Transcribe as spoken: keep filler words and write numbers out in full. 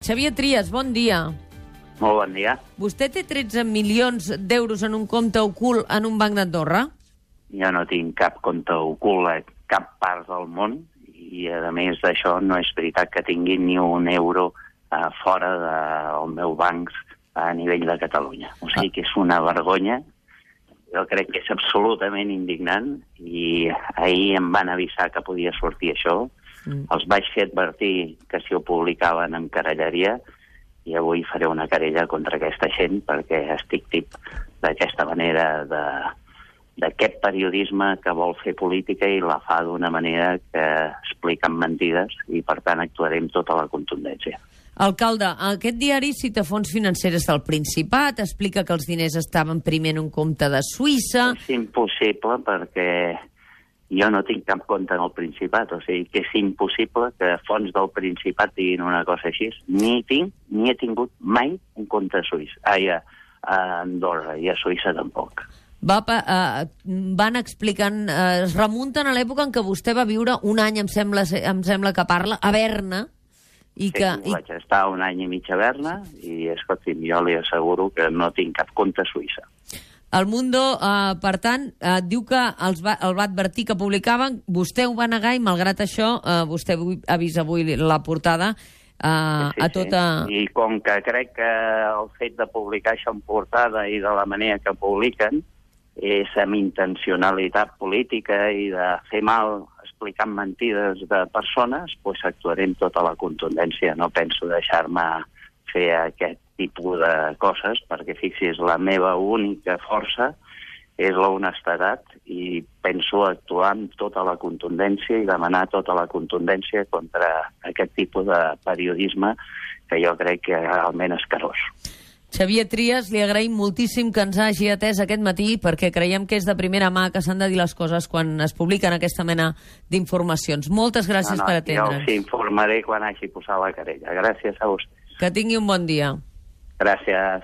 Xavier Trias, bon dia. Molt bon dia. Vostè té tretze milions d'euros en un compte ocult en un banc d'Andorra? Jo no tinc cap compte ocult a cap part del món i, a més d'això, no és veritat que tingui ni un euro uh, fora del meu banc a nivell de Catalunya. O sigui que és una vergonya. Jo crec que és absolutament indignant i ahir em van avisar que podia sortir això. Mm. Els vaig fer advertir que si ho publicaven em querellaria i avui faré una querella contra aquesta gent perquè estic tip d'aquesta manera de, d'aquest periodisme que vol fer política i la fa d'una manera que expliquen mentides i, per tant, actuaré amb tota la contundència. Alcalde, aquest diari cita fons financeres del Principat, explica que els diners estaven primer en un compte de Suïssa... És impossible perquè jo no tinc cap compte en el Principat, o sigui que és impossible que fons del Principat diguin una cosa així. Ni tinc, ni he tingut mai un compte a Suïssa, ai, a, a Andorra, i a Suïssa tampoc. Va, uh, van explicant, uh, es remunten a l'època en què vostè va viure un any, em sembla, em sembla que parla, a Berna, i que... Sí, vaig estar un any i mig a Berna i, escolti'm, jo li asseguro que no tinc cap compte a Suïssa. El Mundo, eh, per tant, eh, diu que els va, el va advertir que publicaven, vostè ho va negar i, malgrat això, eh, vostè ha vist avui la portada eh, sí, a tota... Sí. I com que crec que el fet de publicar això en portada i de la manera que publiquen és amb intencionalitat política i de fer mal explicant mentides de persones, doncs actuaré amb tota la contundència. No penso deixar-me fer aquest tipus de coses, perquè fixi's, la meva única força és la honestedat i penso actuar amb tota la contundència i demanar tota la contundència contra aquest tipus de periodisme que jo crec que és realment escarós. Xavier Trias, li agraïm moltíssim que ens hagi atès aquest matí perquè creiem que és de primera mà que s'han de dir les coses quan es publiquen aquesta mena d'informacions. Moltes gràcies no, no, per atendre'ns. Jo us informaré quan hagi posat la querella. Gràcies a vostès. Que tingui un bon dia. Gràcies.